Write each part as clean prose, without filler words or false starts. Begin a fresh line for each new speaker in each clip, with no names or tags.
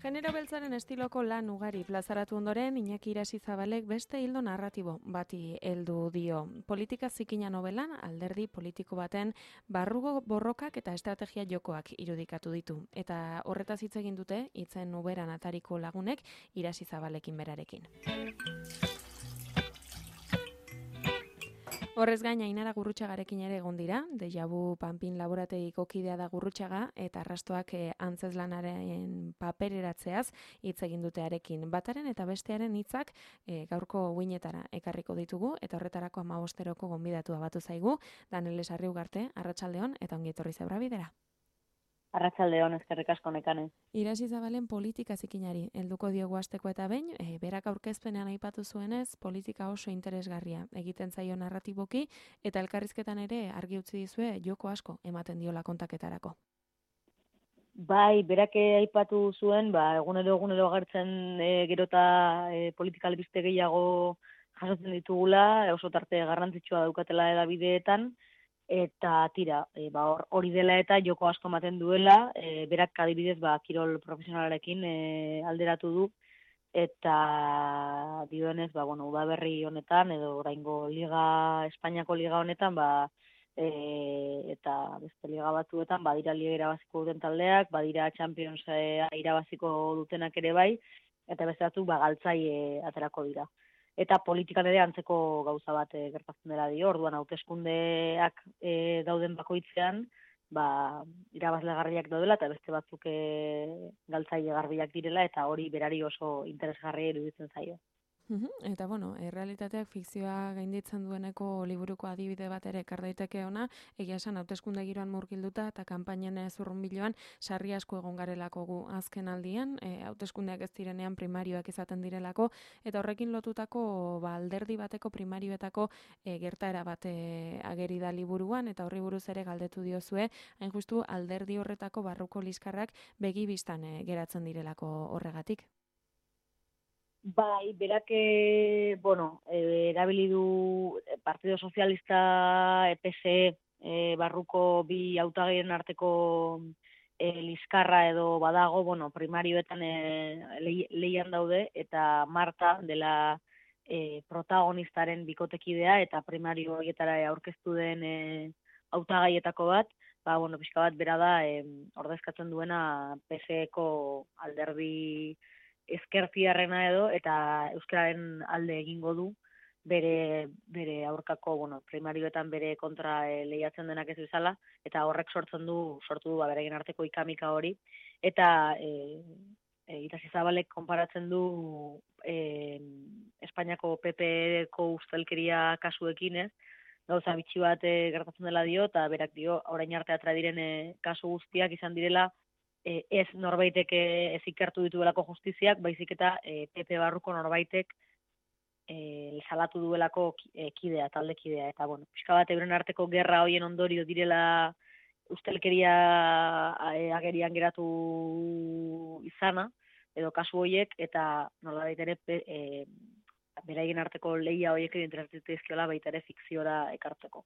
Genero beltzaren estiloko lan ugari plazaratu ondoren, Iñaki Irasizabalek beste hildo narratibo bati heldu dio. Politika zikina novelan, alderdi politiko baten barrugo borrokak eta estrategia jokoak irudikatu ditu. Eta horretaz hitz egin dute, hitzen uberan atariko lagunek Irasizabalekin berarekin. Horrez gain, Ainara Gurrutxagarekin ere egon dira, Deja Vu Panpin laborategiko kidea da Gurrutxaga, eta arrastoak antzeslanaren papereratzeaz hitz egin dutearekin. Bataren eta bestearen hitzak gaurko uinetara ekarriko ditugu, eta horretarako 15-eroko gonbidatua batu zaigu, Danele Sarri Ugarte, arratsaldeon, eta ongi etorri Zebra Bidera.
Arratsaldeon, eskerrik asko Nekane.
Irasizabalen politika zikinari helduko diogu hasteko eta behin, berak aurkezpenean aipatu zuenez, politika oso interesgarria egiten zaio narratiboki, eta elkarrizketan ere argi utzi dizue joko asko ematen diola kontaketarako.
Bai, berak aipatu zuen, egunero agertzen gerota politika albiste gehiago jasotzen ditugula, oso tarte garrantzitsua daukatela edabideetan, eta tira, hori dela eta joko asko ematen duela, berak adibidez kirol profesionalarekin alderatu du, eta dioenez, udaberri honetan, edo oraingo Espainiako liga honetan, eta beste liga batzuetan, badira liga irabaziko duten taldeak, badira Champions irabaziko dutenak ere bai, eta beste batzuk galtzai aterako dira. Eta politikan ere antzeko gauza bat gertatzen dela dio, orduan hauteskundeak dauden bakoitzean, irabazlegarriak daudela eta beste batzuk galtzaile garbiak direla, eta hori berari oso interesgarria iruditzen zaio.
Eta errealitateak fikzioa gainditzen dueneko liburuko adibide bat ere ekar daiteke ona, egia esan hauteskunde giroan murgilduta eta kanpainen zurrunbiloan sarri asko egon garelako gu azken aldian, hauteskundeak ez direnean primarioak izaten direlako, eta horrekin lotutako alderdi bateko primarioetako gertaera bat ageri da liburuan, eta horri buruz ere galdetu diozue, hain justu alderdi horretako barruko liskarrak begi bistan geratzen direlako horregatik.
Bai, berak, erabili du Partido Sozialista, PSE, barruko bi hautagaien arteko liskarra edo badago, primarioetan lehian daude, eta Marta dela protagonistaren bikotekidea, eta primario horietara aurkeztu den hautagaietako bat, pixka bat bera da ordezkatzen duena PSE-ko alderdi ezkertiarrena edo, eta euskararen alde egingo du, bere aurkako, primarioetan bere kontra lehiatzen denak ez bezala, eta horrek sortu du beraien arteko ikamika hori, eta Irasizabalek konparatzen du Espainiako PP-ko ustelkeria kasuekin, ez? Gauza bitxi bat gertatzen dela dio, eta berak dio, orain arte atera diren kasu guztiak izan direla, ez norbaitek ez ikertu dituelako justiziak, baizik eta PP barruko norbaitek salatu duelako kidea, taldekidea, eta pixka bat euren arteko gerra hoien ondorio direla ustelkeria agerian geratu izana, edo kasu horiek, eta nolabait ere beraien arteko lehia horiek interesatizkiola baita ere fikziora ekartzeko.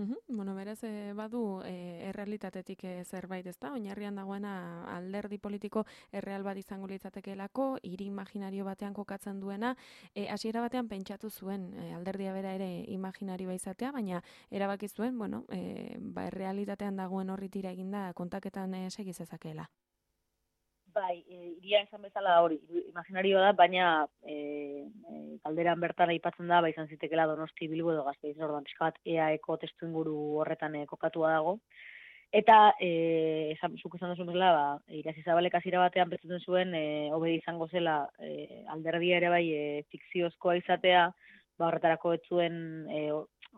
Berez badu errealitatetik zerbait, ezta? Oinarrian dagoena alderdi politiko erreal bat izango litzatekeelako, hiri imaginario batean kokatzen duena, hasiera batean pentsatu zuen alderdia bera ere imaginarioa izatea, baina erabaki zuen, errealitatean dagoen horri tira eginda kontaketan segi zezakeela.
Bai, iria esan bezala hori, imaginarioa da, baina kalderan bertan aipatzen da, izan zitekela Donosti, Bilbo edo Gasteiz, orduan pixka bat EAeko testu inguru horretan kokatua dago. Eta, zuk esan duzun bezala, Irasizabalek hasiera batean pentsatzen zuen, hobe izango zela alderdia ere bai fikziozkoa izatea, horretarako ez zuen,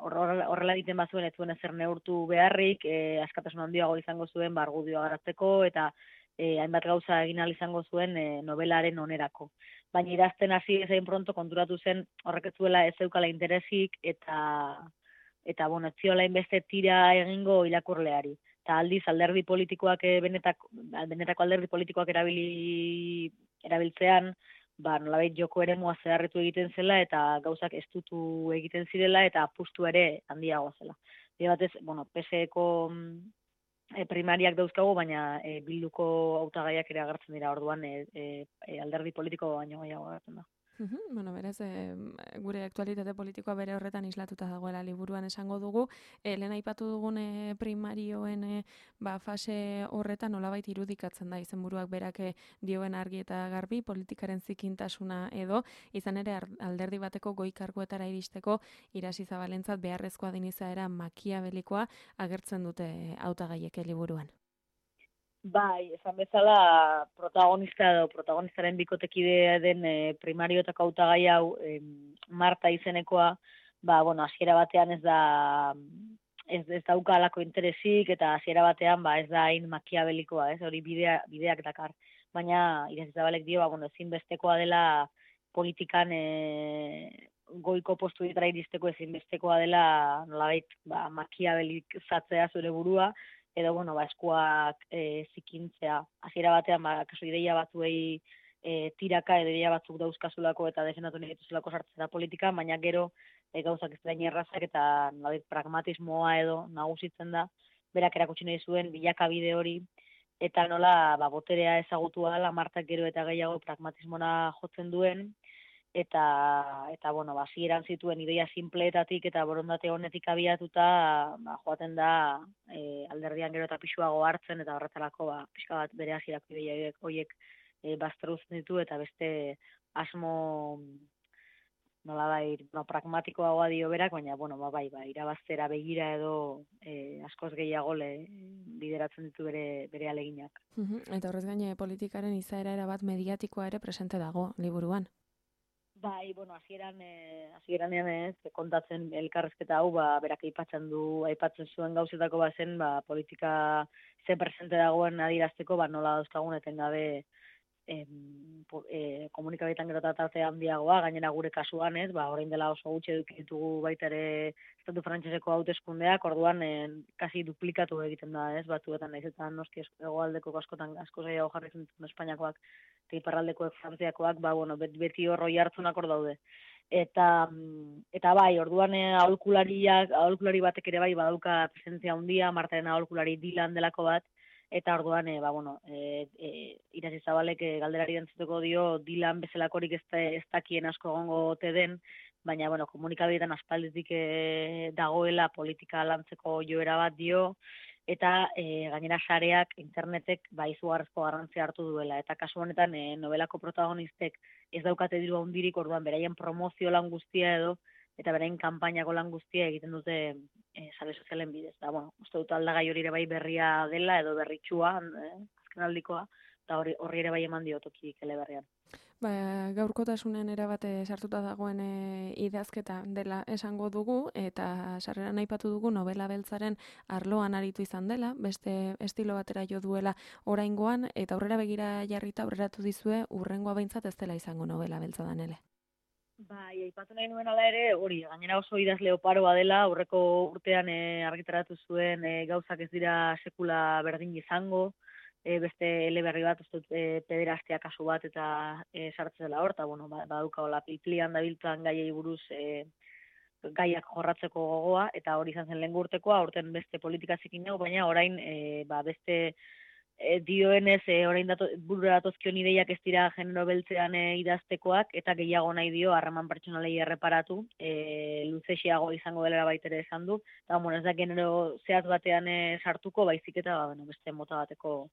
horrela egiten bazuen, ez zuen ezer neurtu beharrik, askatasun handiago izango zuen, argudioa garatzeko, eta hainbat gauza egin ahal izango zuen novelaren onerako. Baina idazten hasi ezain pronto konturatu zen horrek ez zuela ez zeukala interesik eta ez ziola inbeste tira egingo irakurleari. Eta aldiz alderdi politikoak benetako alderdi politikoak erabiltzean, nolabait joko eremua zeharretu egiten zela eta gauzak estutu egiten zirela eta apustu ere handiagoa zela. Batez, PSE-ko primariak dauzkagu, baina bilduko hautagaiak ere agertzen dira, orduan alderdi politiko baino gehiago agertzen da.
Bueno, berez, gure aktualitate politikoa bere horretan islatuta dagoela liburuan esango dugu. Lehen aipatu dugun primarioen fase horretan nolabait irudikatzen da izenburuak berak dioen argi eta garbi politikaren zikintasuna edo, izan ere alderdi bateko goi karguetara iristeko Irasi Zabalentzat beharrezkoa den izaera makiabelikoa agertzen dute hautagaiek liburuan.
Bai, esan bezala protagonistaren bikotekide den primarioetako hautagai hau Marta izenekoa, hasiera batean ez dauka halako interesik eta hasiera batean ez da hain makiabelikoa, hori bideak dakar. Baina Irasi Zabalek dio, ezinbestekoa dela politikan goiko postuetara iristeko ezinbestekoa dela nolabait makiabelizatzea zure burua, edo, eskuak zikintzea. Hasiera batean, kasu ideia batzuei tiraka, edo ideia batzuk dauzkazulako eta defendatu nahi dituzulako sartzera politika, baina gero gauzak ez da errazak eta pragmatismoa edo nagusitzen da, berak erakutsi nahi zuen bilakabide hori, eta nola boterea ezagutua dela, Martak gero eta gehiago pragmatismona jotzen duen, eta hasieran zituen ideia simpleetatik eta borondate honetik abiatuta joaten da alderdian gero eta pisuago hartzen eta horretarako pixka bat bere hasierako ideia horiek baztertzen ditu eta beste asmo pragmatikoagoa dio berak, baina irabaztera begira edo askoz gehiago bideratzen ditu bere aleginak.
Eta horrez gaine politikaren izaera erabat mediatikoa ere presente dago liburuan.
Bai, hasieranean kontatzen elkarrezketa hau, berak aipatzen zuen gauzetako bazen, politika ze presente dagoen adierazteko, nola dauzkagun etengabe komunikabideetan gero eta tarte handiagoa, gainera gure kasuan orain dela oso gutxi eduki ditugu baita ere estatu frantseseko hauteskundeak, orduan kasi duplikatu egiten da, batzuetan naiz eta noski hegoaldeko askotan asko gehiago jarri zentzen Espainiakoak eta iparraldekoek Frantziakoak, beti hor hartzunak hor daude. Eta bai, orduan aholkulari batek ere bai badauka presentzia handia, Martaren aholkulari Dylan delako bat, eta orduan, Irasi Zabalek galderari entzuteko dio Dylan bezalakorik ez dakien asko egongo ote den, baina, komunikabideetan aspalditik dagoela politika lantzeko joera bat dio, eta gainera sareak, internetek, izugarrizko garrantzia hartu duela. Eta kasu honetan, novelako protagonistek ez daukate diru handirik, orduan beraien promozio lan guztia edo, eta beraien kanpainako lan guztia egiten dute sare sozialen bidez. Uste dut aldagai hori ere bai berria dela, edo berritxua, azken aldikoa, eta horri ere bai eman diotoki eleberrian.
Gaurkotasunen erabate sartuta dagoen idazketa dela esango dugu, eta sarreran aipatu dugu novela beltzaren arloan aritu izan dela, beste estilo batera jo duela oraingoan, eta aurrera begira jarrita aurreratu dizue urrengoa behintzat ez dela izango novela beltza danele.
Bai, aipatu nahi nuen ala ere, hori, gainera oso idazle oparoa dela, aurreko urtean argitaratu zuen gauzak ez dira sekula berdin izango, beste eleberri bat, pederastia kasu bat eta sartzen dela hor, eta badauka hola pilplian dabiltzan gaiei buruz gaiak jorratzeko gogoa, eta hori izan zen lehen urtekoa, aurten beste politika zikin dugu, baina orain beste dioenez, orain burura datozkion ideiak ez dira genero beltzean idaztekoak, eta gehiago nahi dio harreman pertsonalei erreparatu, luzexiago izango dela baitere esan du, eta ez da genero zehatz batean sartuko, baizik eta beste mota bateko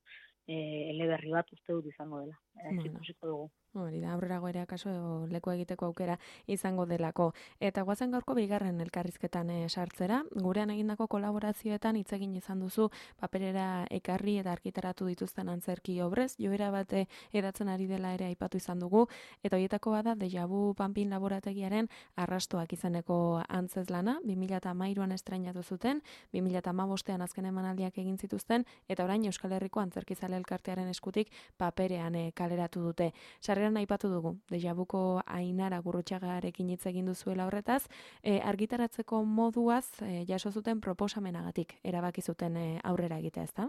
eleberri bat uste dut izango dela. Ikusiko dugu.
Hori da, aurrerago ere akaso leku egiteko aukera izango delako. Eta guazen gaurko bigarren elkarrizketan sartzera, gurean egindako kolaborazioetan hitz egin izan duzu paperera ekarri eta argitaratu dituzten antzerki obrez, joera bate edatzen ari dela ere aipatu izan dugu, eta horietako bada Deja Vu Panpin laborategiaren arrastoak izeneko antzezlana, 2013an estrainatu zuten, 2015ean azken emanaldiak egin zituzten, eta orain Euskal Herriko Antzerkizale Elkartearen eskutik paperean kaleratu dute. Sarreran aipatu dugu, Deja Vuko Ainara Gurrutxagarekin hitz egin duzuela horretaz, argitaratzeko moduaz jaso zuten proposamenagatik erabaki zuten aurrera egitea, ezta?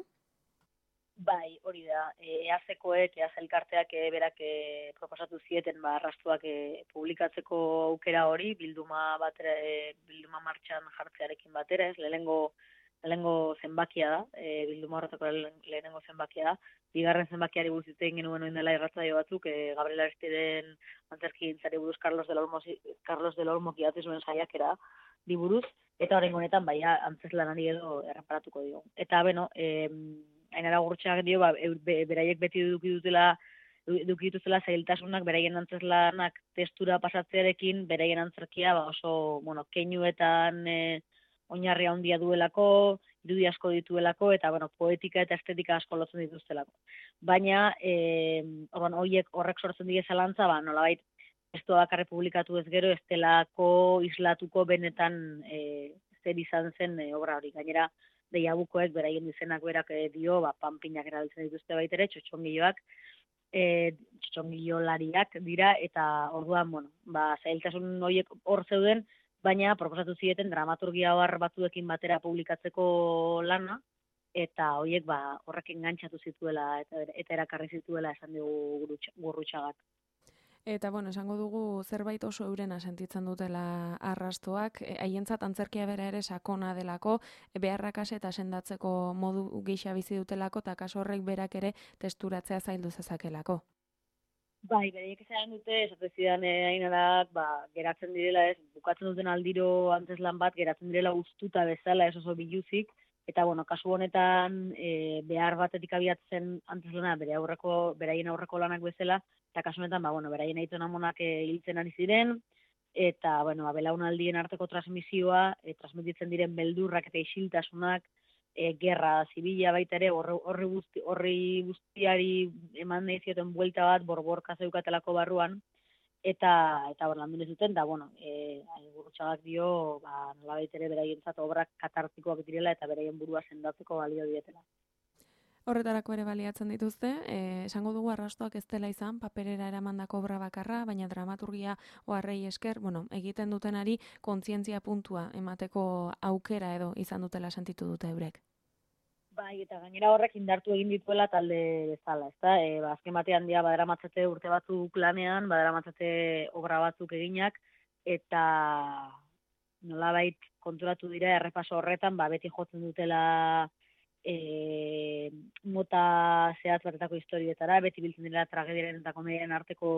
Bai, hori da. EAZ-koek, EAZ elkarteak berak proposatu zieten arrastuak publikatzeko aukera hori, bilduma martxan jartzearekin batera, lehenengo lehenengo zenbakia da, bilduma horretako lehenengo zenbakia da. Bigarren zenbakiari buruz hitz egin genuen orain dela irratsaio batzuk, Gabriel Aristiden antzerkigintzari buruz Carlos del Olmo idatzi zuen saiakera di buruz, eta oraingo honetan bai antzezlanari edo erreparatuko dio. Eta beno, Ainara Gurrutxagak dio, beraiek beti eduki dituzela zailtasunak beraien antzeslanak testura pasatzearekin, beraien antzerkia oso, keinuetan oinarri handia duelako, irudi asko dituelako, eta, poetika eta estetika asko lotzen dituztelako. Baina, horrek sortzen die zalantza, nolabait, testua bakarrik publikatu ez gero, ez delako islatuko benetan zer izan zen obra hori. Gainera, deiabukoek, beraien izenak berak dio, panpinak erabiltzen dituzte baitere, txotxongiloak, txotxongilolariak dira, eta orduan, zailtasun horiek hor zeuden, baina proposatu zieten dramaturgia ohar batzuekin batera publikatzeko lana, eta horiek horrek engantzatu zituela eta erakarri zituela esan dugu Gurrutxagak.
Eta, esango dugu zerbait oso eurena sentitzen dutela arrastoak, haientzat antzerkia bera ere sakona delako, beharrakase eta sendatzeko modu gisa bizi dutelako, eta kaso horrek berak ere testuratzea zaildu zezakelako.
Bai, bereiek esan dute, esate zidan Ainarak, geratzen direla bukatzen duten aldiro antzeslan bat, geratzen direla ustuta bezala, ez oso biluzik, eta, kasu honetan, behar batetik abiatzen antzeslana beraien aurreko lanak bezala, eta kasu honetan, beraien aitona monak hiltzen ari ziren, eta, belaunaldien arteko transmisioa, transmititzen diren beldurrak eta isiltasunak, gerra zibila baita ere, horri guztiari eman nahi zioten buelta bat, borborka zeukatelako barruan, eta landu zuten, da, Gurrutxagak dio, nolabait ere beraientzat obrak katartikoak direla eta beraien burua sendatzeko balio dietela.
Horretarako ere baliatzen dituzte, esango dugu arrastoak ez dela izan, paperera eramandako obra bakarra, baina dramaturgia oharrei esker, egiten dutenari kontzientzia puntua emateko aukera edo izan dutela sentitu dute eurek.
Bai, eta gainera horrek indartu egin dituela talde bezala, ezta? Azken batean dira badaramatzate urte batzuk lanean, badaramatzate obra batzuk eginak, eta nolabait konturatu dira errepaso horretan, beti jotzen dutela mota zehatz batetako historietara, beti biltzen dira tragediaren eta komediaren arteko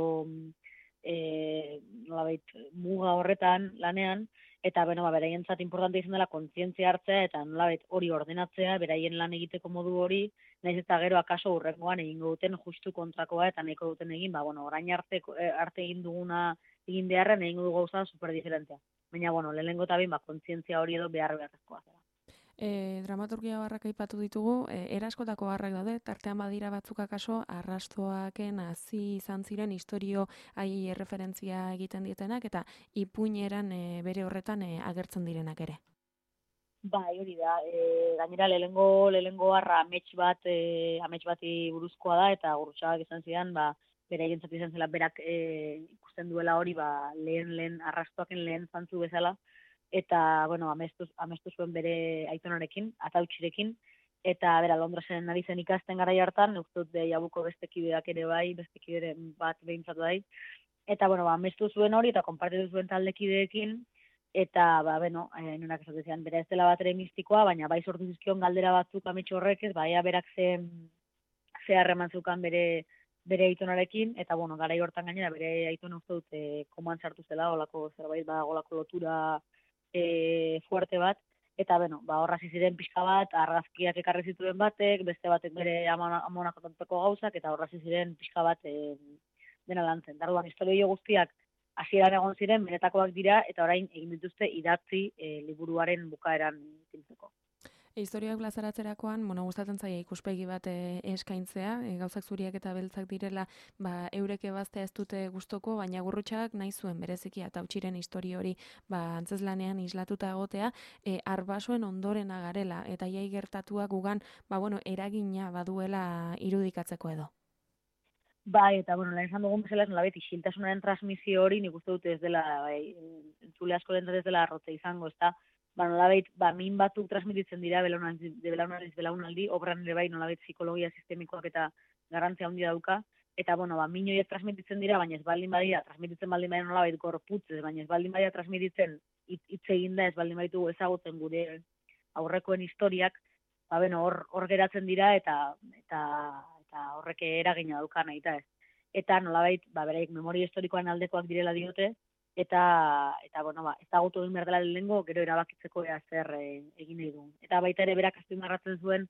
nolabait muga horretan lanean, eta beraientzat importante izan dela kontzientzia hartzea eta nolabait hori ordenatzea, beraien lan egiteko modu hori, nahiz eta gero akaso hurrengoan egingo duten justu kontrakoa eta nahiko duten egin, orain arte egin duguna egin beharren egingo dugu gauza superdiferentea. Baina, lehenengo eta behin, kontzientzia hori edo beharrezkoa zela.
Dramaturgia oharrak aipatu ditugu, eraskotako oharrak daude, tartean badira batzuk akaso, arrastoaken hasi izan ziren historio haiei erreferentzia egiten dietenak, eta ipuineran bere horretan agertzen direnak ere.
Bai, hori da, gainera lehenengo harra amets bati buruzkoa da, eta Gurrutxagak izan zidan, beraientzat izan zela berak ikusten duela hori, lehen arrastoaken lehen zantzu bezala, eta, amestu zuen bere aitonarekin, atautxirekin, eta, Londresen ari zen ikasten garai hartan, uste dut jabuko beste kideak ere bai, beste kideren bat behintzatu bai, eta, amestu zuen hori, eta konpartitu zuen taldekideekin, eta, nunak esatezean, bera ez dela bat ere mistikoa, baina bai sortu zizkion galdera batzuk ametxo horrek ez, berak ze harreman zeukan bere aitonarekin, eta, garai hortan gainera, bere aitona uste dut koman sartu zela, olako zerbait, olako lotura fuerte bat, eta, horra ziren pixka bat, argazkiak ekarri zituen batek, beste batek bere amonak kontatuko gauzak, eta horra ziren pixka bat dena lantzen. Darduan, historio guztiak hasieran egon ziren, benetakoak dira, eta orain egin dituzte idatzi liburuaren bukaeran zintzeko.
Historioak plazaratzerakoan, gustatzen zaia ikuspegi bat eskaintzea, gauzak zuriak eta beltzak direla, eurek ebaztea ez dute gustoko, baina Gurrutxagak nahi zuen bereziki atautxiren historio hori antzeslanean islatuta egotea, arbasoen ondoren agarela, eta jai gertatuak gugan, eragina baduela irudikatzeko edo.
Bai, eta, lehen esan dugun bezala, nolabait, isiltasunaren transmisio hori, nik uste dute ez dela, entzule asko dentzat ez dela arrotze izango, ez da, nolabait, min batzuk transmititzen dira, belaunaldi, obran ere bai, nolabait, psikologia sistemikoak eta garrantzia handia dauka, eta, min horiek transmititzen dira, baina ez baldin badira, transmititzen baldin badira nolabait gorputzez, baina ez baldin badira transmititzen hitz eginda, ez baldin baditu ezagutzen gure aurrekoen historiak, ba, bueno, hor geratzen dira eta horrek eragina dauka nahi ez. Eta nolabait, ba, beraiek memoria historikoan aldekoak direla diote, eta bueno, ba, ezagutu egin behar dela lehengo, gero erabakitzeko ea zer egin nahi duen. Eta baita ere berak azpimarratzen zuen,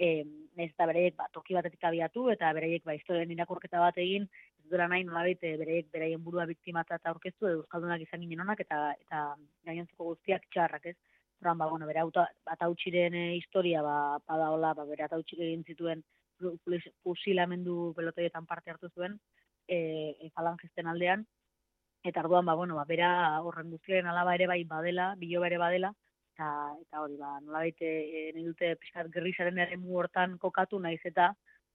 nahiz eta beraiek ba, toki batetik abiatu, eta beraiek ba, historien irakurketa bat egin, ez duela nahi nolabait beraiek beraien burua biktimatzat aurkeztu, edo euskaldunak izan ginen onak, eta gainontzeko guztiak txarrak, ez? Zoran, ba, bueno, bere atautxiren historia, ba, badaola, ba, bere atautxik egin zituen fusilamendu pelotoietan parte hartu zuen, falangisten aldean, eta orduan, ba, bueno, ba, bera horren guztiaren alaba ere bai badela, biloba ere badela, eta hori, ba, nolabait nahi dute pixkat gerrizaren eremu hortan kokatu, naiz eta,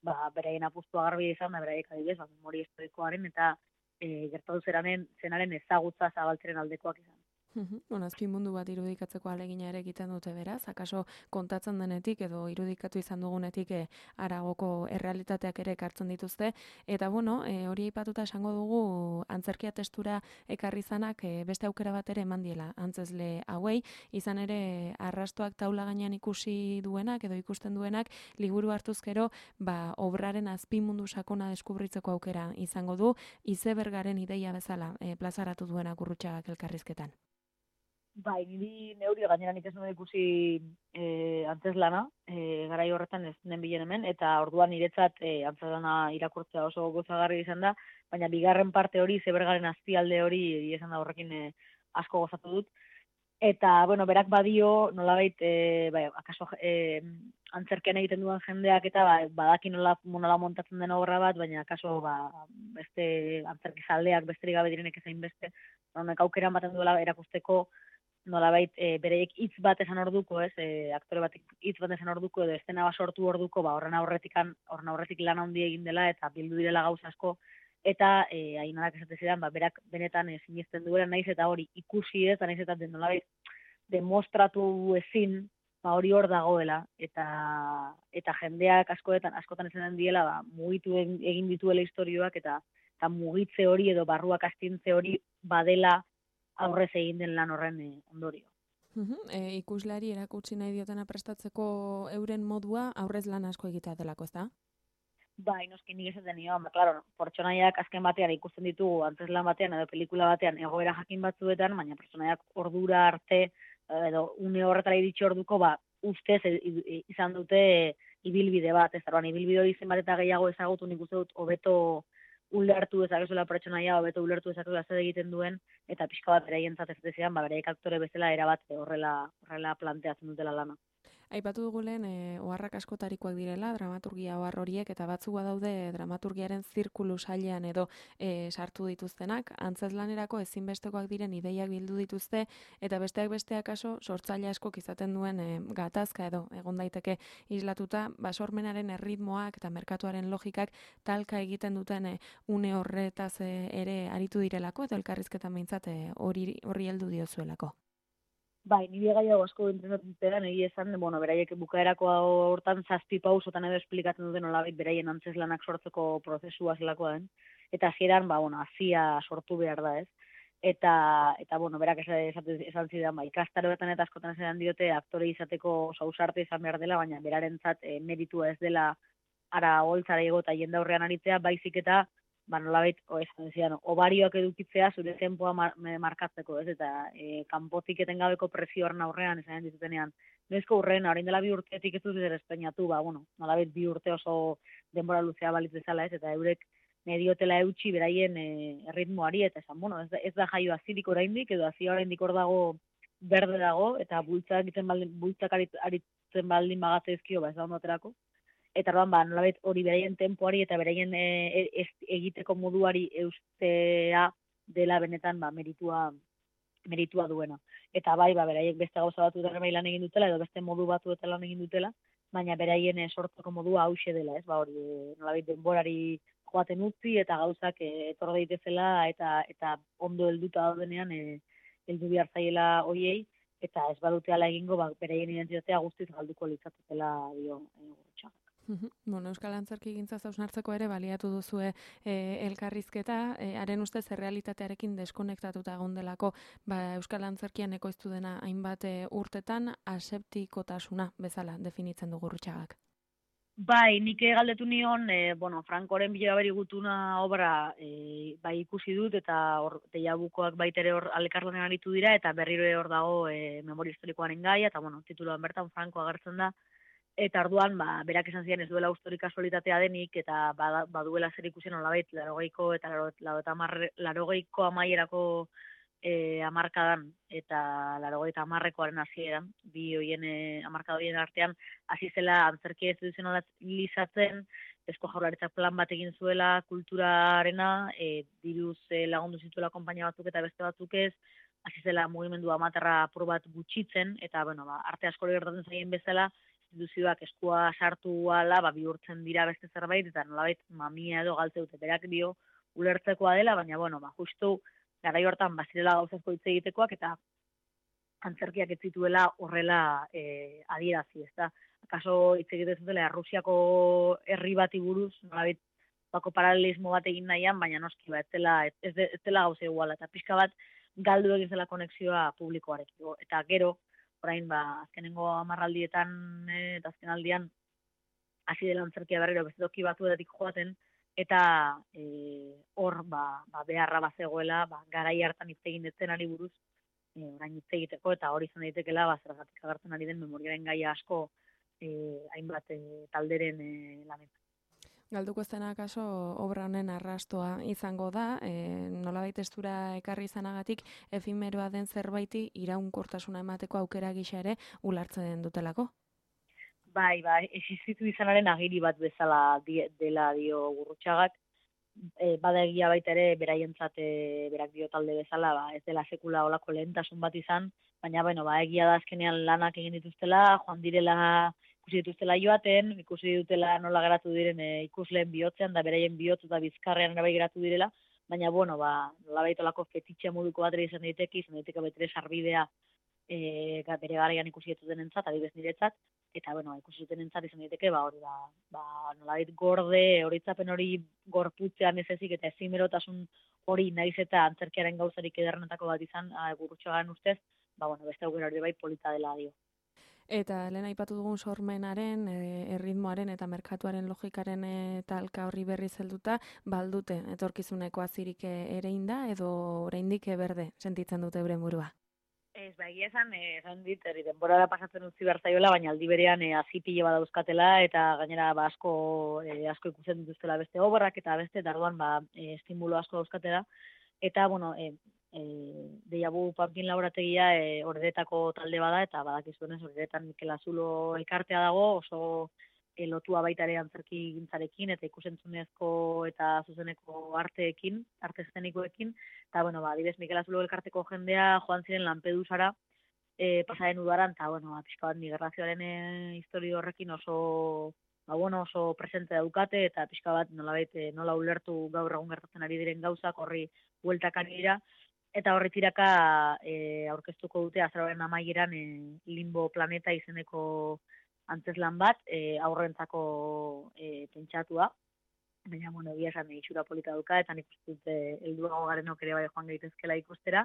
ba, beraien apustua garbi izan, da beraiek adibidez, ba, memoria historikoaren eta gertatu zenaren ezagutza zabaltzeren aldekoak izan.
Bueno, azpi mundu bat irudikatzeko ahalegina ere egiten dute beraz, akaso kontatzen denetik edo irudikatu izan dugunetik haragoko errealitateak ere ekartzen dituzte, eta bueno, hori aipatuta esango dugu antzerkia testura ekarri zanak beste aukera bat ere eman diela antzezle hauei, izan ere arrastoak taula gainean ikusi duenak edo ikusten duenak liburu hartuz gero, ba, obraren azpi mundu sakona deskubritzeko aukera izango du, izebergaren ideia bezala plazaratu duenak Gurrutxagak elkarrizketan.
Bai, niri neuri gainera nik ez nuen ikusi antzezlana, garai horretan ez nen bilen hemen, eta orduan niretzat antzezlana irakurtzea oso gozagarri izan da, baina bigarren parte hori, zebergaren azpialde hori, izan da horrekin asko gozatu dut. Eta, bueno, berak badio, nolabait, bai, akaso antzerkean egiten duen jendeak eta badaki nola montatzen den obra bat, baina akaso beste antzerki zaldeak besterik gabe direnek ezain beste, honek aukera ematen duela erakusteko nolabait bereiek hitz bat esan orduko, ez, aktore batek hitz bat esan orduko edo estena bat sortu orduko, ba horren aurretik lan handi egin dela eta bildu direla gauza asko eta Ainarak esate zidan, ba berak benetan sinesten duela naiz eta hori ikusi ez, naiz eta nolabait demostratu ezin, ba hori hor dagoela eta jendeak askotan esaten diela, ba mugitu egin dituela istorioak eta mugitze hori edo barruak astintze hori badela aurrez egin den lan horren ondorio.
Ikuslari erakutsi nahi diotena prestatzeko euren modua aurrez lan asko egitea delako, ez da?
Bai, noski nik esaten nio, claro, pertsonaiak azken batean ikusten ditugu antzeslan batean edo pelikula batean egoera jakin batzuetan, baina pertsonaiak ordura arte edo une horretara iritsi orduko, ba, ustez izan dute ibilbide bat, ez da, ibilbide hori zenbat eta gehiago ezagutu nik uste dut hobeto ulertu dezakezuela pertsonaia, hobeto ulertu dezakezuela zer egiten duen, eta pixka bat beraientzat ez dezean, ba, beraiek aktore bezala erabat horrela planteatzen dutela lana.
Aipatu dugu lehen, oharrak askotarikoak direla, dramaturgia ohar horiek, eta batzuk badaude dramaturgiaren zirkulu sailean edo sartu dituztenak, antzezlanerako ezinbestekoak diren ideiak bildu dituzte, eta besteak besteak kaso, sortzaile askok izaten duen gatazka edo egon daiteke islatuta, basormenaren erritmoak eta merkatuaren logikak talka egiten duten une horretaz ere aritu direlako, eta elkarrizketan behintzat horri heldu diozuelako.
Bai, nire gaiago asko entrenatzen egia esan, bueno, beraiek bukaerako hortan 7 pausotan edo esplikatzen duten nolabait beraien antzeslanak sortzeko prozesua zelakoa den. Eta hasieran, ba, bueno, hasia sortu behar da, ez? Eta bueno, berak esan zidan, ba, ikastaroetan eta askotan esan diote aktore izateko ausarte izan behar dela, baina berarentzat meritua ez dela ara holtzara igo eta jende aurrean aritzea, baizik eta ba nolabait esan zidan, obarioak edukitzea zure tempoa markatzeko, ez? Eta kanpotik etengabeko presio horren aurrean esan ditutenean, noizko urrena, orain dela 2 urtetik ez dut zer estrenatu, ba bueno, nolabait 2 urte oso denbora luzea balitz bezala, ez? Eta eurek mediotela eutxi beraien erritmoari eta esan, bueno, ez da jaio azirik oraindik edo azia oraindik hor dago berde dago eta bultzak aritzen baldin bagatezkio, ba ez da ondoterako. Eta orduan ba nolabait hori beraien tempoari eta beraien egiteko moduari eustea dela benetan ba meritua duena. Eta bai, ba beraiek beste gauza batzuetan bai lan egin dutela edo beste modu batzuetan lan egin dutela, baina beraien sortzeko modua hauxe dela, ez? Ba hori nolabait denborari joaten utzi eta gauzak etor daitezela eta ondo helduta daudenean heldu behar zaiela hoiei eta ez badute hala egingo ba beraien identitatea guztiz galduko litzatela dio Gurrutxagak.
Bueno, Euskal Antzerkigintza hausnartzeko ere baliatu duzue elkarrizketa, haren ustez errealitatearekin deskonektatuta egon delako, Euskal Antzerkian ekoiztu dena hainbat urtetan aseptikotasuna bezala definitzen du Gurrutxagak.
Bai, nik galdetu nion, Frankoren bila beri gutuna obra bai ikusi dut, eta hor Teiabukoak baitere hor alekarlanen aritu dira, eta berriro hor dago memoria historikoaren gaia, eta tituloan bertan Franko agertzen da, eta orduan, berak esan ziren ez duela historik kasualitatea denik, eta baduela zer ikusen olabait, 80ko eta 80ko amaierako hamarkadan eta 80koaren hasieran, bi hoien hamarkada horien artean hasi zela antzerkia instituzionalizatzen, Eusko Jaurlaritzak plan bat egin zuela kulturarena, diruz lagundu zituela konpainia batzuk eta beste batzuk ez, hasi zela mugimendu amaterra apur bat gutxitzen, eta arte askori gertatzen zaien bezala, instituzioak eskua sartu ala, bihurtzen dira beste zerbait, eta nolabait mamia edo galtze dute, berak dio ulertzekoa dela, baina justu garai hortan bazirela gauzazko hitz egitekoak, eta antzerkiak ez zituela horrela adierazi, ezta? Akaso hitz egiten zutela Errusiako herri bati buruz, nolabait bako paralelismo bat egin nahian, baina noski ez dela gauza iguala, eta pixka bat galdu egin zela konexioa publikoarekin. Eta gero, orain azkenengo hamarraldietan eta azkenaldian hasi dela antzerkia berriro beste toki batuetatik joaten, eta hor beharra bazegoela, garai hartan hitz egin dezenari buruz, orain hitz egiteko, eta hori izan daitekeela zergatik agertzen ari den memoriaren gaia asko hainbat talderen lanetan.
Galduko zena kaso obra honen arrastoa izango da, nolabait testura ekarri izanagatik efimeroa den zerbaiti iraunkortasuna emateko aukera gisa ere ulartzen dutelako.
Bai, existitu izanaren agiri bat bezala dela dio Gurrutxagak, bada egia baita ere beraientzat berak dio talde bezala, ez dela sekula olako lehentasun bat izan, baina egia da azkenean lanak egin dituztela, joan direla ikusi dituztela joaten, ikusi dutela nola geratu diren ikusleen bihotzean, da beraien bihotz eta bizkarrean ere bai geratu direla, baina nola baitolako fetitxe moduko bat ere izan daiteke betere sarbidea bere garaian ikusi dutenentzat, adibez niretzat, eta ikusi dutenentzat izan daiteke hori nolabait gorde, horitzapen hori gorputzean ez ezik, eta ezimerotasun hori naiz eta antzerkiaren gauzarik ederrenetako bat izan, Gurrutxagaren ustez, beste aukera hori bai polita dela dio.
Eta lehen aipatu dugun sormenaren, erritmoaren eta merkatuaren logikaren talka horri berri zelduta, baldute etorkizuneko azirik ere inda, edo oraindik berde sentitzen dute euren burua?
Ez, egia esan dit, denbora pasatzen utzi behar zaiola, baina aldi berean hazi pile badauzkatela, eta gainera asko ikusten dituztela beste obrak, eta beste, darduan estimulo asko dauzkatela, eta, Deiabu Panpin laborategia Ordetako talde bada, eta badakizuenez Ordetan Mikel Azulo elkartea dago, oso lotua baita ere antzerki gintzarekin, eta ikusentzunezko eta zuzeneko arteekin, arte eszenikoekin, eta, adibidez Mikel Azulo elkarteko jendea joan ziren Lampedusara, pasaren udaran, eta, pixka bat migrazioaren historia horrekin oso presente daukate, eta pixka bat nola ulertu gaur egun gertatzen ari diren gauzak horri bueltak ari dira, eta horri tiraka aurkeztuko dute azaroaren amaieran Limbo Planeta izeneko antzeslan bat, aurrentzako pentsatua, baina, egia esan itxura polita duka, eta nik uste dut helduago garenok ere bai joan gaitezkela ikustera,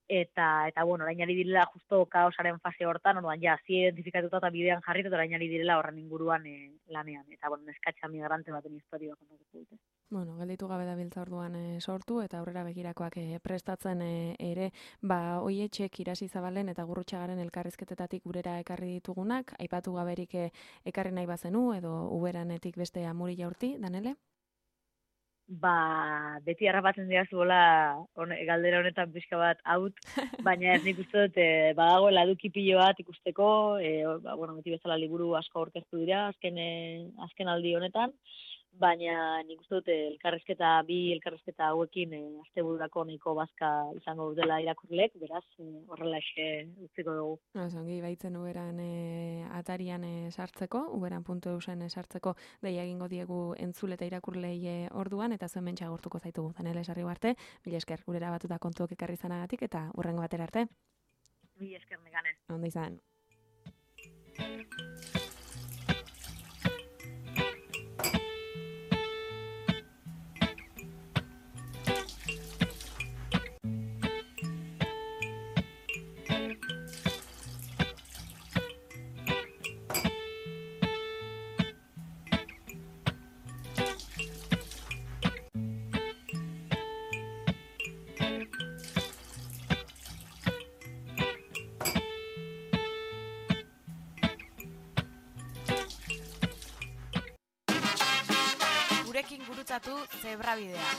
eta orain ari direla justo kaosaren fase hortan, zi identifikatuta eta bidean jarrit, eta orain ari direla horren inguruan lanean, eta neskatxa migrante baten historia kontatuko dute.
Gelditu gabe da biltza orduan sortu, eta aurrera begirakoak prestatzen ere, Oietxek Irasi Zabalen eta Gurrutxagaren elkarrizketetatik gurera ekarri ditugunak, aipatu gaberik ekarri nahi bazenu, edo uberanetik beste Amuri Jaurti, Danele?
Beti harrapatzen dira zuela galdera honetan pixka bat haut, baina ez nik uste dut badagoela eduki pilo bat ikusteko, beti bezala liburu asko aurkeztu dira azken aldi honetan, baina nik uste dut bi elkarrizketa hauekin astebururako nahiko bazka izango dutela irakurlek, beraz horrela utziko dugu.
Zongi, baitzen uberan atarian sartzeko, uberan.eusen sartzeko deia egingo diegu entzule eta irakurlei orduan, eta zuen mentxa gortuko zaitugu. Danele sarri arte, mila esker gurera batuta kontuok ekarri zanagatik, eta urrengo batera arte.
Mila esker megane.
Ondo izan.
gurekin gurutzatu zebrabidea.